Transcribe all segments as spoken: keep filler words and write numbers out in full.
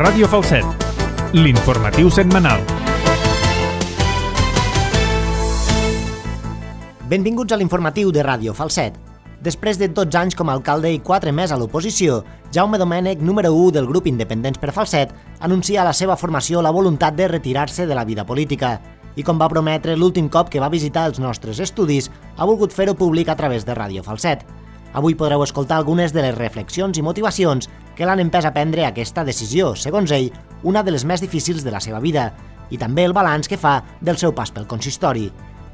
Ràdio Falset, l'informatiu setmanal. Benvinguts a l'informatiu de Ràdio Falset. Després de dotze anys com a alcalde i quatre més a l'oposició, Jaume Domènech, número u del grup Independents per Falset, anuncia a la seva formació la voluntat de retirar-se de la vida política. I com va prometre l'últim cop que va visitar els nostres estudis, ha volgut fer-ho públic a través de Ràdio Falset. Avui podreu escoltar algunes de les reflexions i motivacions que l'han empès a prendre aquesta decisió, segons ell, una de les més difícils de la seva vida, i també el balanç que fa del seu pas pel consistori.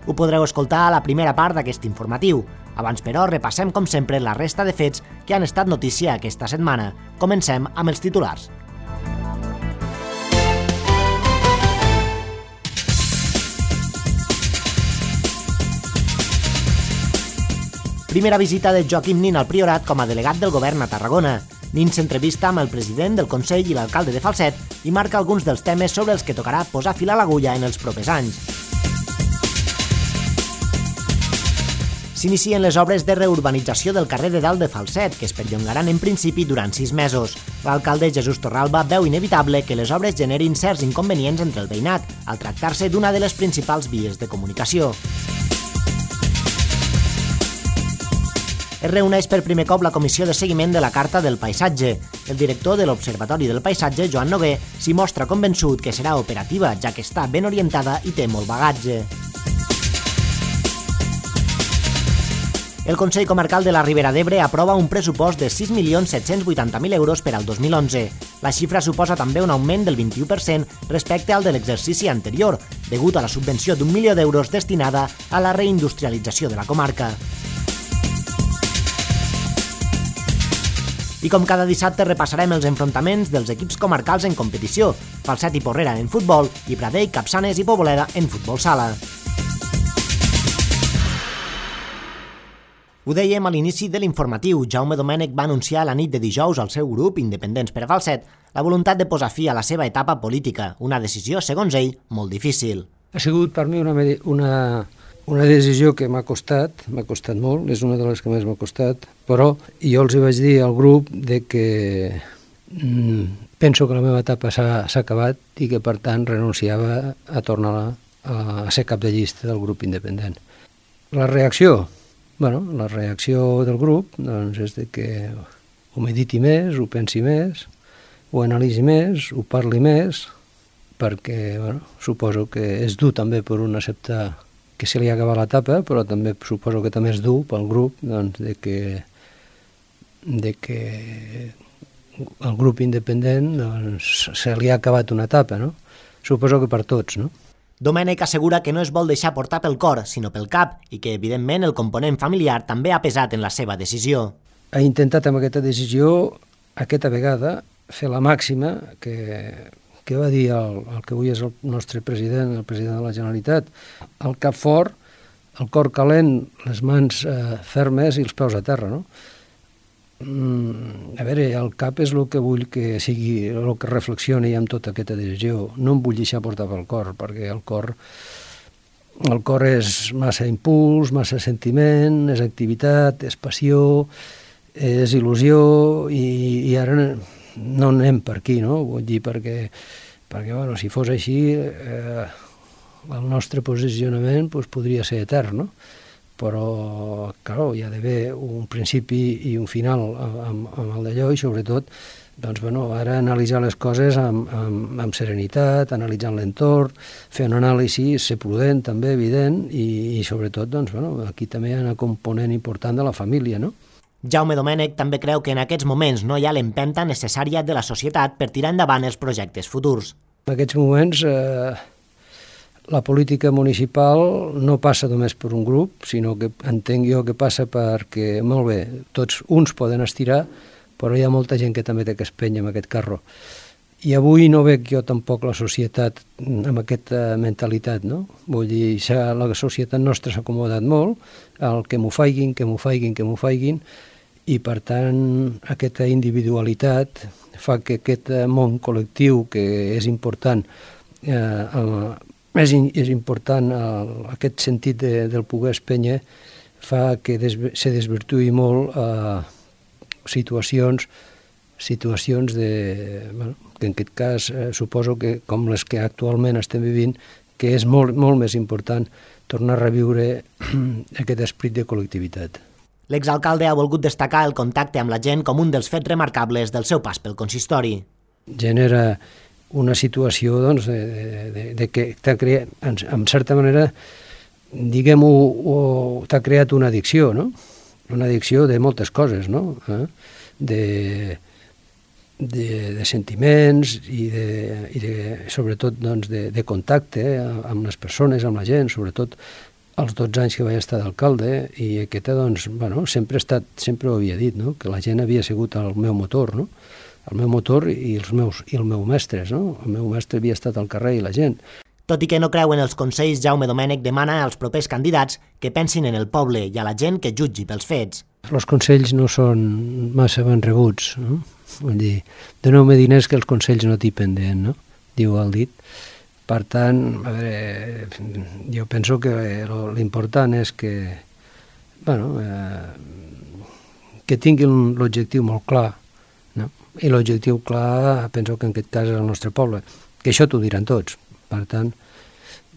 Ho podreu escoltar a la primera part d'aquest informatiu. Abans, però, repassem, com sempre, la resta de fets que han estat notícia aquesta setmana. Comencem amb els titulars. Primera visita de Joaquim Nin al Priorat com a delegat del govern a Tarragona. Nin s'entrevista amb el president del Consell i l'alcalde de Falset i marca alguns dels temes sobre els que tocarà posar fil a l'agulla en els propers anys. S'inicien les obres de reurbanització del carrer de Dalt de Falset, que es perllongaran en principi durant sis mesos. L'alcalde Jesús Torralba veu inevitable que les obres generin certs inconvenients entre el veïnat, al tractar-se d'una de les principals vies de comunicació. Es reuneix per primer cop la Comissió de Seguiment de la Carta del Paisatge. El director de l'Observatori del Paisatge, Joan Noguer, s'hi mostra convençut que serà operativa, ja que està ben orientada i té molt bagatge. El Consell Comarcal de la Ribera d'Ebre aprova un pressupost de sis milions set-cents vuitanta mil euros per al dos mil onze. La xifra suposa també un augment del vint-i-u per cent respecte al de l'exercici anterior, degut a la subvenció d'un milió d'euros destinada a la reindustrialització de la comarca. I com cada dissabte repassarem els enfrontaments dels equips comarcals en competició, Falset i Porrera en futbol i Pradell, Capçanes i Poboleda en futbol sala. Ho dèiem a l'inici de l'informatiu, Jaume Domènech va anunciar la nit de dijous al seu grup Independents per Falset la voluntat de posar fi a la seva etapa política, una decisió, segons ell, molt difícil. Ha sigut per mi una, una, una decisió que m'ha costat, m'ha costat molt, és una de les que més m'ha costat, però jo els vaig dir al grup de que mm, penso que la meva etapa s'ha acabat i que per tant renunciava a tornar a, a ser cap de llista del grup independent. La reacció? Bueno, la reacció del grup doncs, és de que ho mediti més, ho pensi més, ho analitzi més, ho parli més, perquè bueno, suposo que és dur també per un acceptar que se li ha acabat l'etapa, però també suposo que també és dur pel grup doncs, de que, de que el grup independent doncs, se li ha acabat una etapa, no? Suposo que per tots, no? Domènech assegura que no es vol deixar portar pel cor, sinó pel cap, i que, evidentment, el component familiar també ha pesat en la seva decisió. Ha intentat amb aquesta decisió, aquesta vegada, fer la màxima que, que va dir el, el que avui és el nostre president, el president de la Generalitat, el cap fort, el cor calent, les mans eh, fermes i els peus a terra, no? Mm, a veure, el cap és el que vull que sigui, el que reflexioni amb tota aquesta decisió. No em vull deixar portar pel cor, perquè el cor, el cor és massa impuls, massa sentiment, és activitat, és passió, és il·lusió, i, i ara no anem per aquí, no? Vull dir, perquè, perquè bueno, si fos així, eh, el nostre posicionament pues, podria ser etern, no? Però, clar, hi ha d'haver un principi i un final amb, amb el d'allò i, sobretot, doncs, bueno, ara analitzar les coses amb, amb, amb serenitat, analitzant l'entorn, fer un anàlisi, ser prudent, també, evident, i, i sobretot, doncs, bueno, aquí també hi ha una component important de la família, no? Jaume Domènech també creu que en aquests moments no hi ha l'empenta necessària de la societat per tirar endavant els projectes futurs. En aquests moments... Eh, La política municipal no passa només per un grup, sinó que entenc jo que passa perquè, molt bé, tots uns poden estirar, però hi ha molta gent que també té que espènyer amb aquest carro. I avui no veig jo tampoc la societat amb aquesta mentalitat, no? Vull dir, la societat nostra s'ha acomodat molt, el que m'ho faiguin, que m'ho faiguin, que m'ho faiguin, i per tant aquesta individualitat fa que aquest món col·lectiu que és important eh, És, és important el, aquest sentit de, del poder espènyer fa que des, se desvirtuï molt eh, situacions situacions de, bueno, que en aquest cas eh, suposo que com les que actualment estem vivint, que és molt, molt més important tornar a reviure aquest esperit de col·lectivitat. L'exalcalde ha volgut destacar el contacte amb la gent com un dels fets remarcables del seu pas pel consistori. Genera una situació doncs, de, de, de que t'ha creat, en, en certa manera, diguem-ho, t'ha creat una addicció, no? Una addicció de moltes coses, no? Eh? De, de, de sentiments i, de, i de, sobretot doncs, de, de contacte eh, amb les persones, amb la gent, sobretot els dotze anys que vaig estar d'alcalde, i aquesta, doncs, bueno, sempre he estat, sempre ho havia dit, no? Que la gent havia sigut el meu motor, no? El meu motor i els meus, i el meu mestres, no? El meu mestre havia estat al carrer i la gent. Tot i que no creu en els consells, Jaume Domènech demana als propers candidats que pensin en el poble i a la gent que jutgi pels fets. Els consells no són massa ben rebuts, no? Vull dir, doneu-me diners que els consells no t'hi pendent, no? Diu el dit. Per tant, a veure, jo penso que l'important és que, bueno, eh, que tinguin l'objectiu molt clar, no? I l'objectiu clar, penso que en aquest cas és el nostre poble, que això t'ho diran tots. Per tant,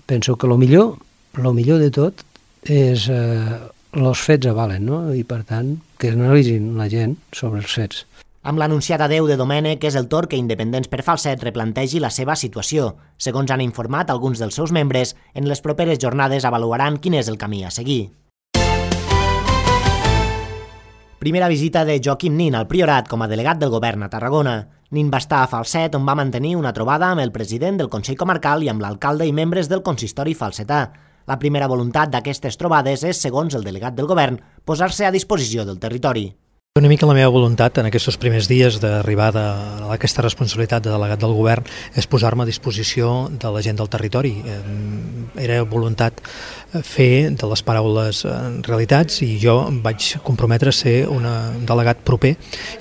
penso que el millor, el millor de tot és eh, els fets avalen, no? I per tant, que analitzin la gent sobre els fets. Amb l'anunciat adeu de Domènech és el torn que Independents per Falset replantegi la seva situació. Segons han informat alguns dels seus membres, en les properes jornades avaluaran quin és el camí a seguir. Primera visita de Joaquim Nin al Priorat com a delegat del govern a Tarragona. Nin va estar a Falset, on va mantenir una trobada amb el president del Consell Comarcal i amb l'alcalde i membres del consistori falsetà. La primera voluntat d'aquestes trobades és, segons el delegat del govern, posar-se a disposició del territori. Una mica la meva voluntat en aquests primers dies d'arribada a aquesta responsabilitat de delegat del govern és posar-me a disposició de la gent del territori. Era voluntat fer de les paraules realitats i jo em vaig comprometre a ser un delegat proper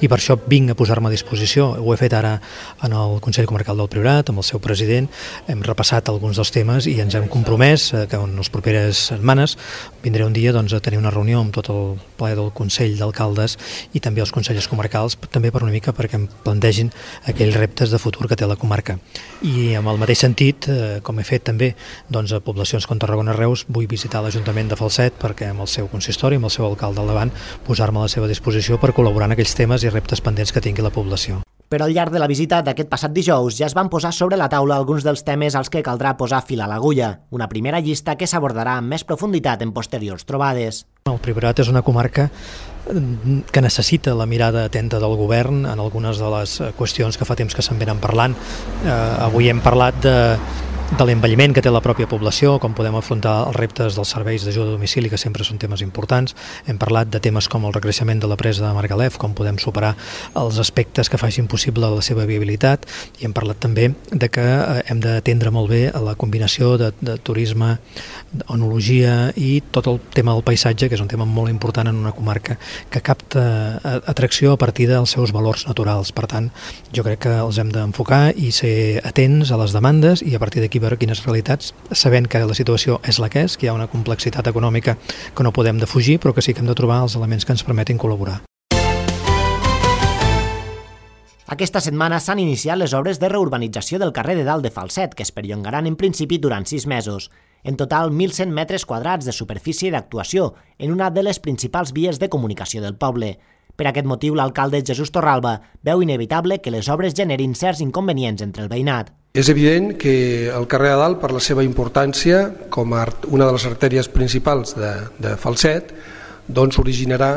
i per això vinc a posar-me a disposició. Ho he fet ara en el Consell Comarcal del Priorat, amb el seu president, hem repassat alguns dels temes i ens hem compromès que en les properes setmanes vindré un dia doncs, a tenir una reunió amb tot el ple del Consell d'Alcaldes i també els consells comarcals, també per una mica perquè em plantegin aquells reptes de futur que té la comarca. I amb el mateix sentit, eh, com he fet també doncs, a poblacions com Tarragona-Reus, vull visitar l'Ajuntament de Falset perquè amb el seu consistori, amb el seu alcalde al davant, posar-me a la seva disposició per col·laborar en aquells temes i reptes pendents que tingui la població. Però al llarg de la visita d'aquest passat dijous ja es van posar sobre la taula alguns dels temes als que caldrà posar fil a l'agulla, una primera llista que s'abordarà amb més profunditat en posteriors trobades. El Priorat és una comarca que necessita la mirada atenta del govern en algunes de les qüestions que fa temps que se'n venen parlant. Eh, avui hem parlat de de l'envelliment que té la pròpia població, com podem afrontar els reptes dels serveis d'ajuda a domicili, que sempre són temes importants. Hem parlat de temes com el recreixement de la presa de Margalef, com podem superar els aspectes que facin possible la seva viabilitat, i hem parlat també de que hem d'atendre molt bé a la combinació de, de turisme, onologia i tot el tema del paisatge, que és un tema molt important en una comarca que capta atracció a partir dels seus valors naturals. Per tant, jo crec que els hem d'enfocar i ser atents a les demandes i a partir d'aquí veure quines realitats, sabent que la situació és la que és, que hi ha una complexitat econòmica que no podem defugir, però que sí que hem de trobar els elements que ens permetin col·laborar. Aquesta setmana s'han iniciat les obres de reurbanització del carrer de Dalt de Falset, que es perllongaran en principi durant sis mesos. En total, mil cent metres quadrats de superfície d'actuació en una de les principals vies de comunicació del poble. Per aquest motiu, l'alcalde Jesús Torralba veu inevitable que les obres generin certs inconvenients entre el veïnat. És evident que el carrer de Dalt, per la seva importància com a una de les artèries principals de, de Falset, doncs originarà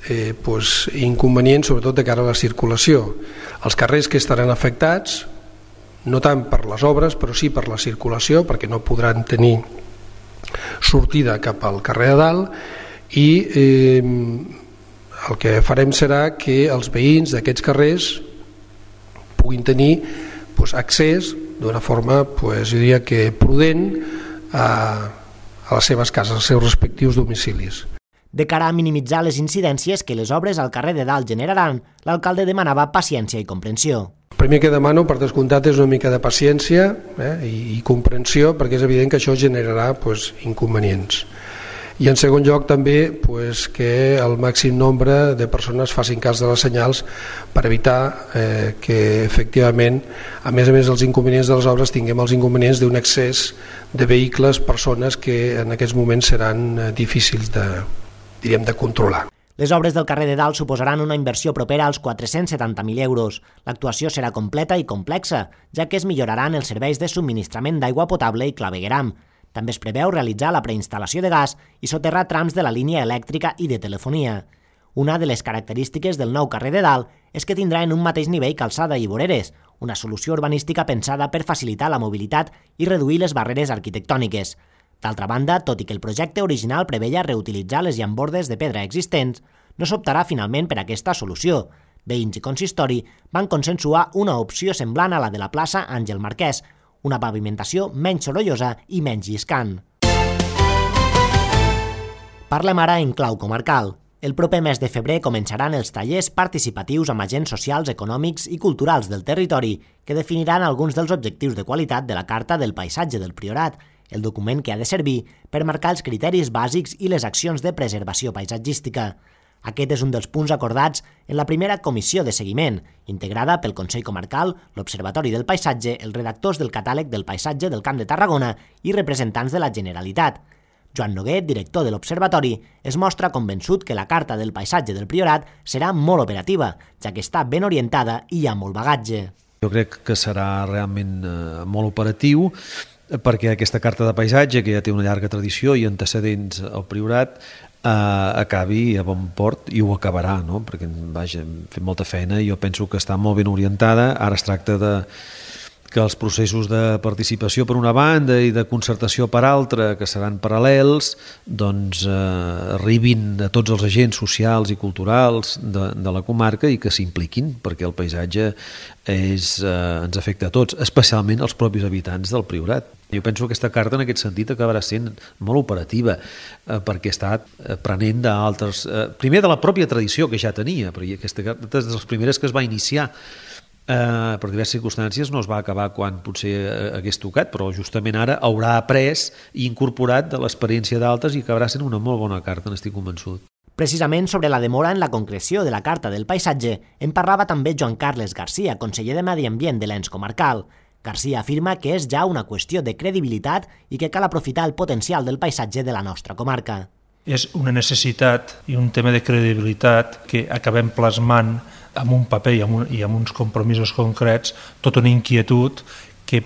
eh, pues, inconvenients, sobretot de cara a la circulació. Els carrers que estaran afectats, no tant per les obres, però sí per la circulació, perquè no podran tenir sortida cap al carrer de Dalt, i eh, el que farem serà que els veïns d'aquests carrers puguin tenir pues, accés d'una forma, pues, jo diria que prudent, a, a les seves cases, als seus respectius domicilis. De cara a minimitzar les incidències que les obres al carrer de Dalt generaran, l'alcalde demanava paciència i comprensió. El primer que demano, per descomptat, és una mica de paciència eh, i, i comprensió, perquè és evident que això generarà pues, inconvenients. I en segon lloc també pues, que el màxim nombre de persones facin cas de les senyals per evitar eh, que efectivament, a més a més dels inconvenients de les obres, tinguem els inconvenients d'un excés de vehicles, persones que en aquests moments seran eh, difícils de, diríem, de controlar. Les obres del carrer de Dalt suposaran una inversió propera als quatre-cents setanta mil euros. L'actuació serà completa i complexa, ja que es milloraran els serveis de subministrament d'aigua potable i clavegueram. També es preveu realitzar la preinstal·lació de gas i soterrar trams de la línia elèctrica i de telefonia. Una de les característiques del nou carrer de Dalt és que tindrà en un mateix nivell calçada i voreres, una solució urbanística pensada per facilitar la mobilitat i reduir les barreres arquitectòniques. D'altra banda, tot i que el projecte original preveia reutilitzar les llambordes de pedra existents, no s'optarà finalment per aquesta solució. Veïns i consistori van consensuar una opció semblant a la de la plaça Àngel Marquès, una pavimentació menys sorollosa i menys lliscant. Parlem ara en clau comarcal. El proper mes de febrer començaran els tallers participatius amb agents socials, econòmics i culturals del territori que definiran alguns dels objectius de qualitat de la Carta del Paisatge del Priorat, el document que ha de servir per marcar els criteris bàsics i les accions de preservació paisatgística. Aquest és un dels punts acordats en la primera comissió de seguiment, integrada pel Consell Comarcal, l'Observatori del Paisatge, els redactors del Catàleg del Paisatge del Camp de Tarragona i representants de la Generalitat. Joan Noguer, director de l'Observatori, es mostra convençut que la Carta del Paisatge del Priorat serà molt operativa, ja que està ben orientada i hi ha molt bagatge. Jo crec que serà realment eh, molt operatiu, perquè aquesta carta de paisatge, que ja té una llarga tradició i antecedents al Priorat, eh, acabi a bon port i ho acabarà, no? Perquè vaja, hem fet molta feina i jo penso que està molt ben orientada. Ara es tracta de que els processos de participació per una banda i de concertació per altra, que seran paral·lels, doncs eh, arribin a tots els agents socials i culturals de, de la comarca i que s'impliquin, perquè el paisatge és, eh, ens afecta a tots, especialment als propis habitants del Priorat. Jo penso que aquesta carta en aquest sentit acabarà sent molt operativa, eh, perquè està prenent d'altres... Eh, primer de la pròpia tradició que ja tenia, perquè aquesta carta és de les primeres que es va iniciar. Uh, per diverses circumstàncies no es va acabar quan potser hagués tocat, però justament ara haurà après i incorporat de l'experiència d'altres i acabarà sent una molt bona carta, n'estic convençut. Precisament sobre la demora en la concreció de la Carta del Paisatge en parlava també Joan Carles Garcia, conseller de Medi Ambient de l'Ens Comarcal. Garcia afirma que és ja una qüestió de credibilitat i que cal aprofitar el potencial del paisatge de la nostra comarca. És una necessitat i un tema de credibilitat que acabem plasmant amb un paper i amb, un, i amb uns compromisos concrets, tota una inquietud que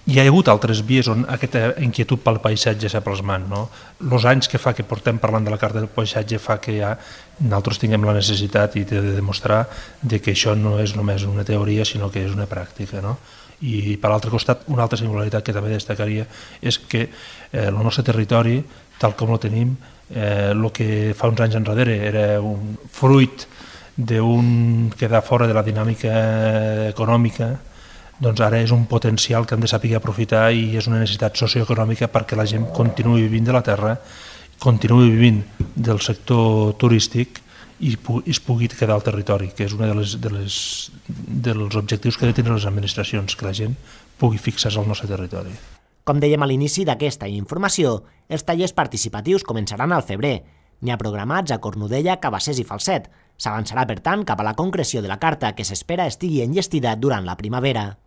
hi ha hagut altres vies on aquesta inquietud pel paisatge s'ha plasmat. No? Els anys que fa que portem parlant de la Carta del Paisatge fa que ja nosaltres tinguem la necessitat i de demostrar de que això no és només una teoria, sinó que és una pràctica. No? I per l'altre costat, una altra singularitat que també destacaria és que eh, el nostre territori, tal com el tenim, eh, el que fa uns anys enrere era un fruit d'un quedar fora de la dinàmica econòmica, doncs ara és un potencial que hem de saber aprofitar i és una necessitat socioeconòmica perquè la gent continuï vivint de la terra, continuï vivint del sector turístic i es pugui quedar al territori, que és un de les, de les, dels objectius que ha de tenir les administracions, que la gent pugui fixar-se al nostre territori. Com dèiem a l'inici d'aquesta informació, els tallers participatius començaran al febrer. N'hi ha programats a Cornudella, Cabassers i Falset. S'avançarà, per tant, cap a la concreció de la carta que s'espera estigui enllestida durant la primavera.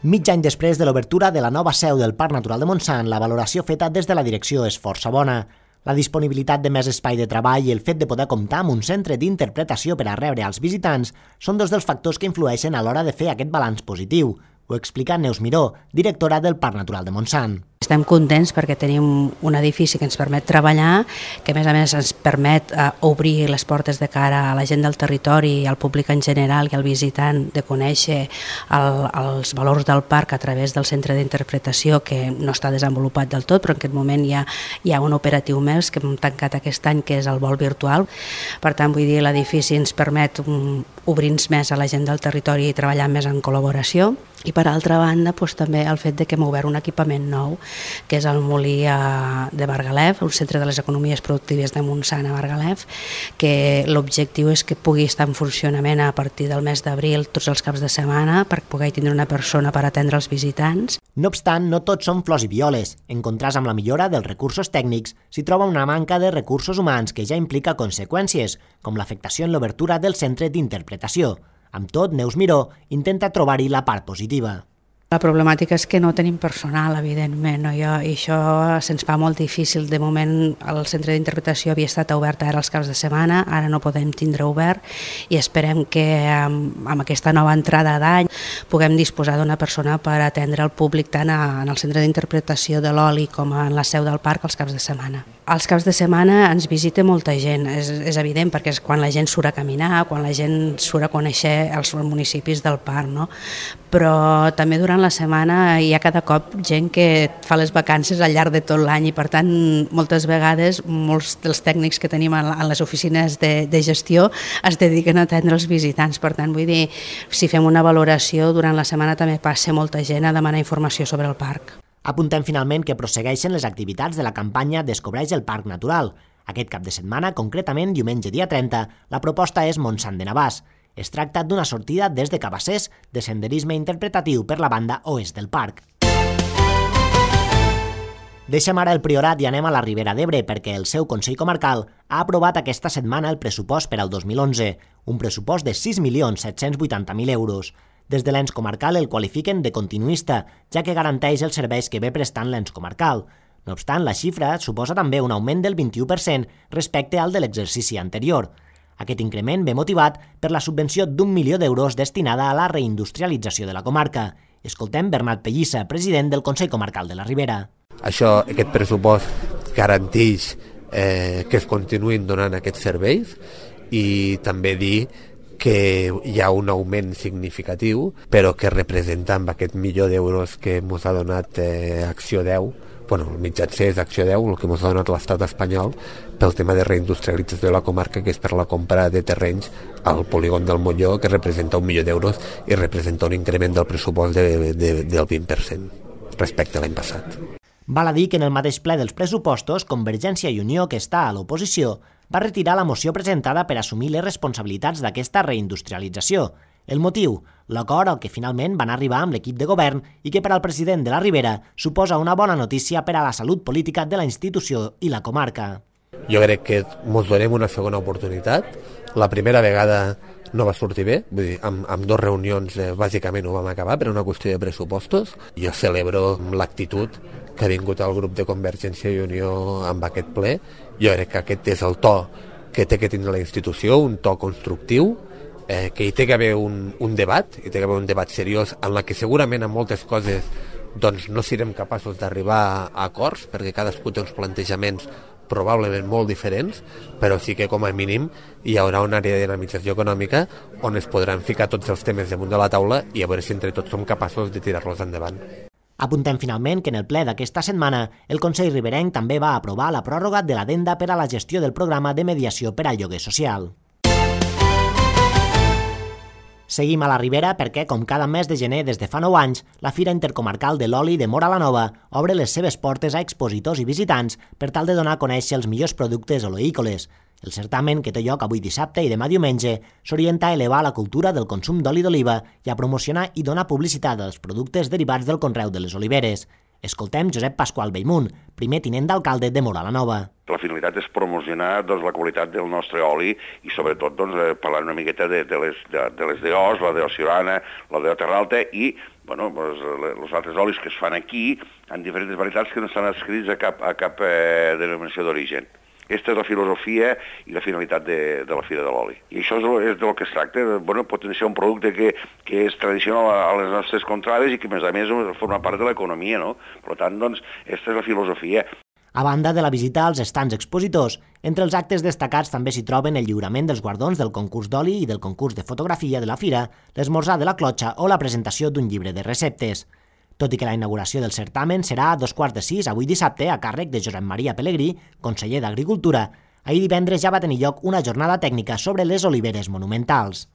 Mig any després de l'obertura de la nova seu del Parc Natural de Montsant, la valoració feta des de la direcció és força bona. La disponibilitat de més espai de treball i el fet de poder comptar amb un centre d'interpretació per a rebre als visitants són dos dels factors que influeixen a l'hora de fer aquest balanç positiu. Ho explica Neus Miró, directora del Parc Natural de Montsant. Estem contents perquè tenim un edifici que ens permet treballar, que a més a més ens permet eh, obrir les portes de cara a la gent del territori, al públic en general i al visitant, de conèixer el, els valors del parc a través del centre d'interpretació, que no està desenvolupat del tot, però en aquest moment hi ha, hi ha un operatiu més que hem tancat aquest any, que és el vol virtual. Per tant, vull dir, l'edifici ens permet um, obrir-nos més a la gent del territori i treballar més en col·laboració. I per altra banda, doncs, també el fet de que hem obert un equipament nou que és el molí de Margalef, un centre de les economies productives de Montsant a Margalef, que l'objectiu és que pugui estar en funcionament a partir del mes d'abril tots els caps de setmana per poder tindre una persona per atendre els visitants. No obstant, no tots són flors i violes. En contrast amb la millora dels recursos tècnics, s'hi troba una manca de recursos humans que ja implica conseqüències, com l'afectació en l'obertura del centre d'interpretació. Amb tot, Neus Miró intenta trobar-hi la part positiva. La problemàtica és que no tenim personal, evidentment, no? I això se'ns fa molt difícil. De moment el centre d'interpretació havia estat obert ara els caps de setmana, ara no podem tindre obert i esperem que amb, amb aquesta nova entrada d'any puguem disposar d'una persona per atendre el públic tant a, en el centre d'interpretació de l'Oli com en la seu del parc els caps de setmana. Els caps de setmana ens visita molta gent, és, és evident, perquè és quan la gent surt a caminar, quan la gent surt a conèixer els municipis del parc, no? Però també durant la setmana hi ha cada cop gent que fa les vacances al llarg de tot l'any i per tant moltes vegades molts dels tècnics que tenim en les oficines de, de gestió es dediquen a atendre els visitants. Per tant, vull dir, si fem una valoració, durant la setmana també passa molta gent a demanar informació sobre el parc. Apuntem finalment que prossegueixen les activitats de la campanya Descobreix el Parc Natural. Aquest cap de setmana, concretament diumenge dia trenta, la proposta és Montsant de Navàs. Es tracta d'una sortida des de Cabassers de senderisme interpretatiu per la banda oest del parc. Deixem ara el Priorat i anem a la Ribera d'Ebre perquè el seu Consell Comarcal ha aprovat aquesta setmana el pressupost per al dos mil onze, un pressupost de sis milions set-cents vuitanta mil euros. Des de l'ens comarcal el qualifiquen de continuista, ja que garanteix els serveis que ve prestant l'ens comarcal. No obstant, la xifra suposa també un augment del vint-i-u per cent respecte al de l'exercici anterior. Aquest increment ve motivat per la subvenció d'un milió d'euros destinada a la reindustrialització de la comarca. Escoltem Bernat Pellissa, president del Consell Comarcal de la Ribera. Això, aquest pressupost garanteix eh, que es continuïn donant aquests serveis i també dir que hi ha un augment significatiu, però que representa amb aquest milió d'euros que ens ha donat eh, Acció deu, bueno, el mitjancer és Acció deu, el que ens ha donat l'estat espanyol pel tema de reindustrialització de la comarca, que és per la compra de terrenys al polígon del Molló, que representa un milió d'euros i representa un increment del pressupost de, de, del vint per cent respecte a l'any passat. Val a dir que en el mateix ple dels pressupostos, Convergència i Unió, que està a l'oposició, va retirar la moció presentada per assumir les responsabilitats d'aquesta reindustrialització. El motiu, l'acord al que finalment van arribar amb l'equip de govern i que per al president de la Ribera suposa una bona notícia per a la salut política de la institució i la comarca. Jo crec que ens donem una segona oportunitat. La primera vegada no va sortir bé, vull dir, amb, amb dues reunions eh, bàsicament ho vam acabar per una qüestió de pressupostos. Jo celebro l'actitud que ha vingut el grup de Convergència i Unió amb aquest ple. Jo crec que aquest és el to que té que tindre la institució, un to constructiu, eh, que hi té que haver un, un debat, hi té que haver un debat seriós en la que segurament en moltes coses doncs, no serem capaços d'arribar a acords, perquè cadascú té uns plantejaments probablement molt diferents, però sí que com a mínim hi haurà una àrea de dinamització econòmica on es podran ficar tots els temes damunt de la taula i a veure si entre tots som capaços de tirar-los endavant. Apuntem finalment que en el ple d'aquesta setmana el Consell Riberenc també va aprovar la pròrroga de l'adenda per a la gestió del programa de mediació per al lloguer social. Seguim a la Ribera perquè, com cada mes de gener des de fa nou anys, la Fira Intercomarcal de l'Oli de Móra la Nova obre les seves portes a expositors i visitants per tal de donar a conèixer els millors productes oleícoles. El certamen, que té lloc avui dissabte i demà diumenge, s'orienta a elevar la cultura del consum d'oli d'oliva i a promocionar i donar publicitat als productes derivats del conreu de les oliveres. Escoltem Josep Pasqual Bellmunt, primer tinent d'alcalde de Móra la Nova. La finalitat és promocionar doncs, la qualitat del nostre oli i sobretot doncs, parlar una miqueta de, de les de, de les d'Os, la d'Ociorana, la de Terralta i bueno, doncs, els altres olis que es fan aquí en diferents varietats que no estan adscrits a cap, a cap eh, denominació d'origen. Aquesta és la filosofia i la finalitat de, de la Fira de l'Oli. I això és, és del que es tracta, de bueno, potenciar un producte que, que és tradicional a, a les nostres contrades i que, a més a més, forma part de l'economia, no? Per tant, doncs, aquesta és la filosofia. A banda de la visita als estants expositors, entre els actes destacats també s'hi troben el lliurament dels guardons del concurs d'oli i del concurs de fotografia de la Fira, l'esmorzar de la clotxa o la presentació d'un llibre de receptes. Tot i que la inauguració del certamen serà a dos quarts de sis avui dissabte a càrrec de Josep Maria Pelegrí, conseller d'Agricultura, ahir divendres ja va tenir lloc una jornada tècnica sobre les oliveres monumentals.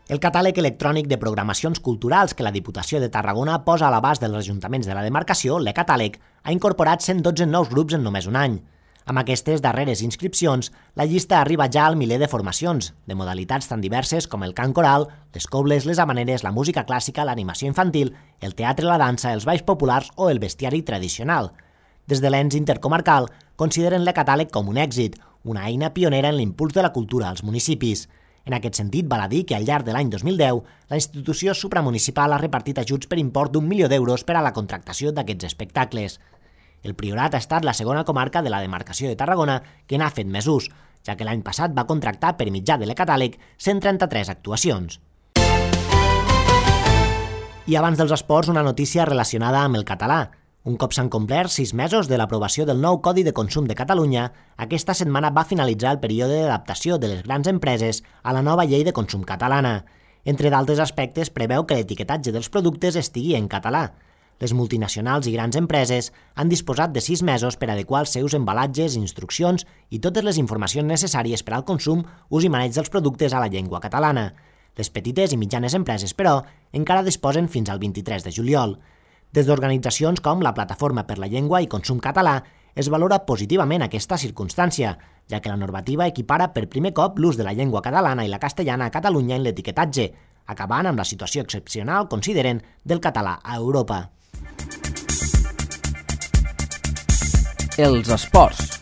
El catàleg electrònic de programacions culturals que la Diputació de Tarragona posa a l'abast dels ajuntaments de la demarcació, l'e-catàleg, ha incorporat cent dotze nous grups en només un any. Amb aquestes darreres inscripcions, la llista arriba ja al miler de formacions, de modalitats tan diverses com el cant coral, les cobles, les havaneres, la música clàssica, l'animació infantil, el teatre, la dansa, els balls populars o el bestiari tradicional. Des de l'ens intercomarcal, consideren l'e-catàleg com un èxit, una eina pionera en l'impuls de la cultura als municipis. En aquest sentit, val a dir que al llarg de l'any dos mil deu, la institució supramunicipal ha repartit ajuts per import d'un milió d'euros per a la contractació d'aquests espectacles. El Priorat ha estat la segona comarca de la demarcació de Tarragona que n'ha fet més ús, ja que l'any passat va contractar per mitjà de l'e-catàleg cent trenta-tres actuacions. I abans dels esports, una notícia relacionada amb el català. Un cop s'han complert sis mesos de l'aprovació del nou Codi de Consum de Catalunya, aquesta setmana va finalitzar el període d'adaptació de les grans empreses a la nova llei de consum catalana. Entre d'altres aspectes, preveu que l'etiquetatge dels productes estigui en català. Les multinacionals i grans empreses han disposat de sis mesos per adequar els seus embalatges, instruccions i totes les informacions necessàries per al consum, ús i maneig dels productes a la llengua catalana. Les petites i mitjanes empreses, però, encara disposen fins al vint-i-tres de juliol. Des d'organitzacions com la Plataforma per la Llengua i Consum Català es valora positivament aquesta circumstància, ja que la normativa equipara per primer cop l'ús de la llengua catalana i la castellana a Catalunya en l'etiquetatge, acabant amb la situació excepcional, consideren, del català a Europa. Els esports.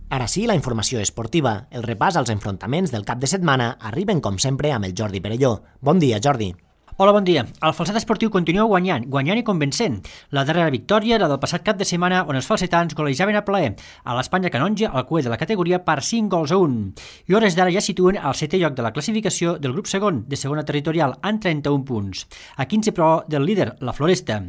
Ara sí, la informació esportiva. El repàs als enfrontaments del cap de setmana arriben, com sempre, amb el Jordi Perelló. Bon dia, Jordi. Hola, bon dia. El Falset Esportiu continua guanyant, guanyant i convencent. La darrera victòria, la del passat cap de setmana, on els falsetans golejaven a plaer a l'Espanya Canonja, al cuer de la categoria, per cinc gols a un. I hores d'ara ja situen al setè lloc de la classificació del grup segon, de segona territorial, amb trenta-un punts. A quinze, però, del líder, la Floresta.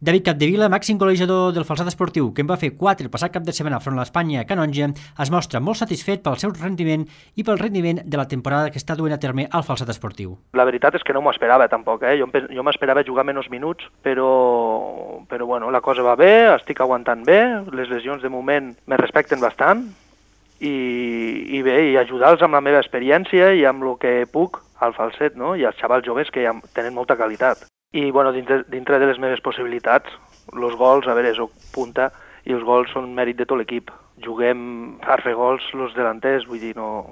David Capdevila, màxim golejador del Falset Esportiu, que en va fer quatre el passat cap de setmana front a l'Espanya Canonja, es mostra molt satisfet pel seu rendiment i pel rendiment de la temporada que està duent a terme al Falset Esportiu. La veritat és que no m'ho esperava tampoc, eh? jo, jo m'esperava jugar menys minuts, però, però bueno, la cosa va bé, estic aguantant bé, les lesions de moment me respecten bastant, i, i bé, i ajudar-los amb la meva experiència i amb el que puc al falset, no? I als xavals joves que ja tenen molta qualitat. I bueno, dintre, dintre de les meves possibilitats, els gols, a veure, soc punta, i els gols són mèrit de tot l'equip. Juguem per fer gols els delanters, vull dir, no,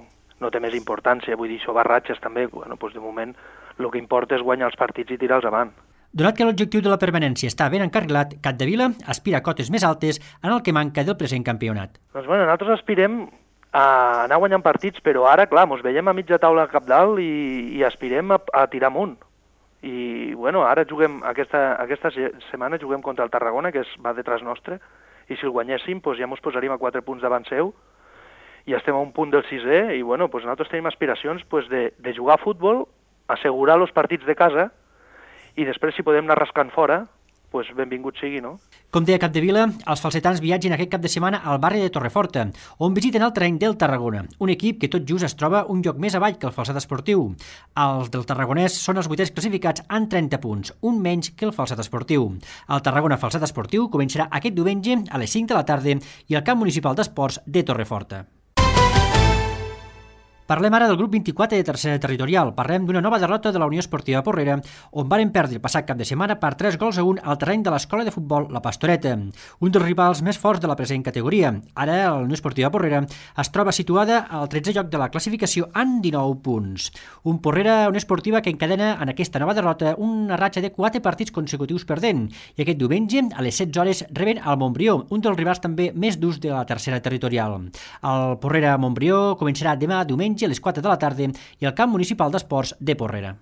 no té més importància, vull dir, això barratges també, bueno, doncs de moment el que importa és guanyar els partits i tirar-los avant. Donat que l'objectiu de la permanència està ben encarrilat, Capdevila aspira a cotes més altes en el que manca del present campionat. Doncs bueno, nosaltres aspirem a anar guanyant partits, però ara, clar, ens veiem a mitja taula cap dalt i, i aspirem a, a tirar amunt. I bueno, ara juguem, aquesta, aquesta setmana juguem contra el Tarragona, que es va detrás nostre, i si el guanyéssim doncs ja ens posaríem a quatre punts davant seu, i estem a un punt del sisè, i bueno, doncs nosaltres tenim aspiracions doncs, de, de jugar a futbol, assegurar els partits de casa, i després si podem anar rascant fora, doncs benvingut sigui, no? Com deia Capdevila, els falsetans viatgen aquest cap de setmana al barri de Torreforta, on visiten el terreny del Tarragona, un equip que tot just es troba un lloc més avall que el Falset Esportiu. Els del Tarragonès són els vuitens classificats amb trenta punts, un menys que el Falset Esportiu. El Tarragona Falset Esportiu començarà aquest diumenge a les cinc de la tarda i al camp municipal d'esports de Torreforta. Parlem ara del grup vint-i-quatre de tercera territorial. Parlem d'una nova derrota de la Unió Esportiva Porrera, on varen perdre el passat cap de setmana per tres gols a un al terreny de l'escola de futbol La Pastoreta, un dels rivals més forts de la present categoria. Ara la Unió Esportiva Porrera es troba situada al tretzè lloc de la classificació amb dinou punts. Un Porrera, una esportiva que encadena en aquesta nova derrota una ratxa de quatre partits consecutius perdent, i aquest diumenge a les setze hores reben el Montbrió, un dels rivals també més durs de la tercera territorial. El Porrera Montbrió començarà demà diumenge a les quatre de la tarda i al camp municipal d'esports de Porrera.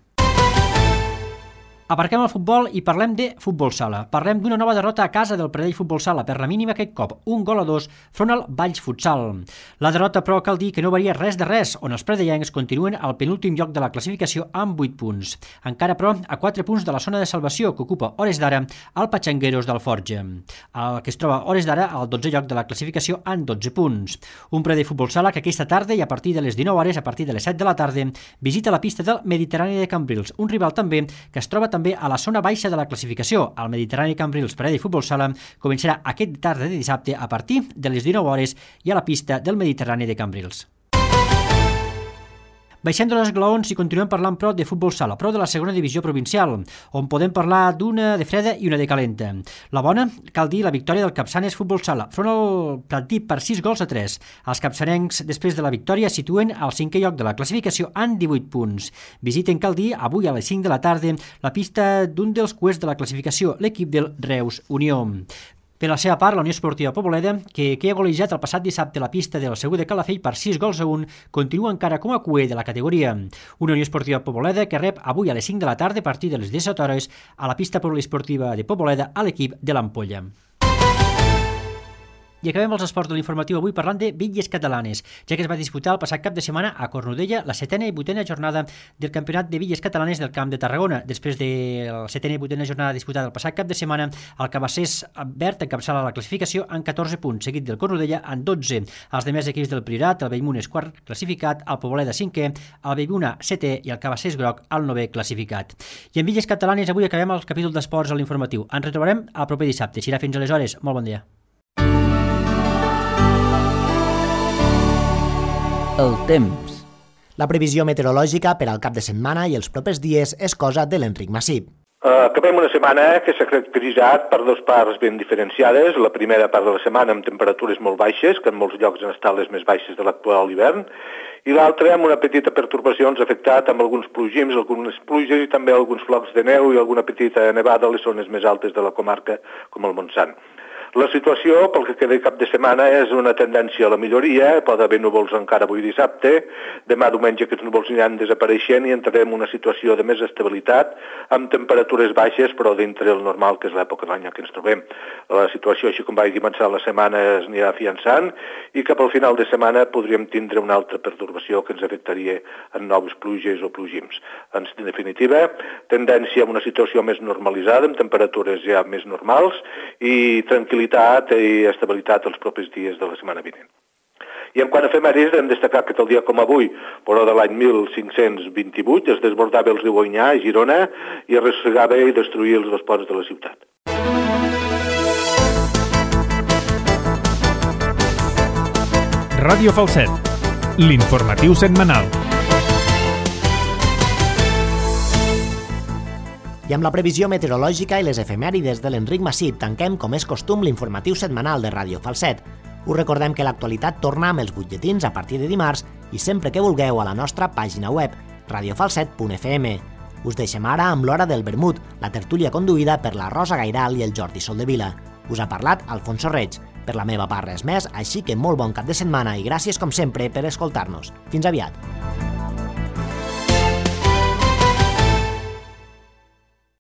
Aparquem el futbol i parlem de futbol sala. Parlem d'una nova derrota a casa del Pradell Futbol Sala, per la mínima aquest cop, un gol a dos front al Valls Futsal. La derrota, però, cal dir que no varia res de res, on els pradellencs continuen al penúltim lloc de la classificació amb vuit punts. Encara, però, a quatre punts de la zona de salvació que ocupa hores d'ara el Patxangueros del Forja, el que es troba hores d'ara al dotzè lloc de la classificació amb dotze punts. Un Pradell Futbol Sala que aquesta tarda i a partir de les dinou hores, a partir de les set de la tarda, visita la pista del Mediterrani de Cambrils, un rival també que es troba també també a la zona baixa de la classificació. El Mediterrani Cambrils Pradell Futbol Sala començarà aquest tarda de dissabte a partir de les dinou hores i a la pista del Mediterrani de Cambrils. Baixem dels esglaons i continuem parlant, però, de futbol sala, però de la segona divisió provincial, on podem parlar d'una de freda i una de calenta. La bona, cal dir, la victòria del Capçanes Futbol Sala, front al Pratdip per sis gols a tres. Els capçanencs, després de la victòria, situen al cinquè lloc de la classificació amb divuit punts. Visiten, cal dir, avui a les cinc de la tarda, la pista d'un dels cuers de la classificació, l'equip del Reus Unió. Per la seva part, la Unió Esportiva Poboleda, que, que ha golejat el passat dissabte la pista del Segur de Calafell per sis gols a un, continua encara com a cuer de la categoria. Una Unió Esportiva Poboleda que rep avui a les cinc de la tarda a partir de les disset hores a la pista poliesportiva de Poboleda a l'equip de l'Ampolla. I acabem els esports de l'informatiu avui parlant de bitlles catalanes, ja que es va disputar el passat cap de setmana a Cornudella la setena i vuitena jornada del Campionat de Bitlles Catalanes del Camp de Tarragona. Després de la setena i vuitena jornada disputada el passat cap de setmana, el Cabassers Verd encapçala la classificació amb catorze punts, seguit del Cornudella amb dotze. Els demés equips del Priorat, el Bellmunt és quart classificat, el Poboleda cinquè, el Bellbuna setè i el Cabassers Groc el novè classificat. I en bitlles catalanes avui acabem el capítol d'esports a l'informatiu. Ens retrobarem el proper dissabte. Serà fins aleshores. Molt bon dia. El temps. La previsió meteorològica per al cap de setmana i els propers dies és cosa de l'Enric Massip. Uh, acabem una setmana que s'ha caracteritzat per dues parts ben diferenciades. La primera part de la setmana amb temperatures molt baixes, que en molts llocs han estat les més baixes de l'actual hivern, i l'altra amb una petita pertorbació ens ha afectat amb alguns plogims, algunes pluges i també alguns flocs de neu i alguna petita nevada a les zones més altes de la comarca, com el Montsant. La situació, pel que queda cap de setmana, és una tendència a la milloria. Pot haver núvols encara avui dissabte. Demà diumenge aquests núvols aniran desapareixent i entrarem en una situació de més estabilitat, amb temperatures baixes, però dintre el normal, que és l'època de l'any en què ens trobem. La situació, així com va començar la setmana, es anirà afiançant i cap al final de setmana podríem tindre una altra pertorbació que ens afectaria en noves pluges o plogims. En definitiva, tendència a una situació més normalitzada, amb temperatures ja més normals i tranquil·litat i estabilitat els propers dies de la setmana vinent. I en quant a efemèrides, hem destacat que el dia com avui, però de l'any mil cinc-cents vint-i-vuit, es desbordava el riu Onyar a Girona i es ressegava i destruïa els dos ponts de la ciutat. Ràdio Falset, l'informatiu setmanal. I amb la previsió meteorològica i les efemèrides de l'Enric Massip tanquem, com és costum, l'informatiu setmanal de Ràdio Falset. Us recordem que l'actualitat torna amb els butlletins a partir de dimarts i sempre que vulgueu a la nostra pàgina web, radiofalset punt f m. Us deixem ara amb l'Hora del Vermut, la tertúlia conduïda per la Rosa Gairal i el Jordi Soldevila. Us ha parlat Alfonso Reig. Per la meva part res més, així que molt bon cap de setmana i gràcies com sempre per escoltar-nos. Fins aviat.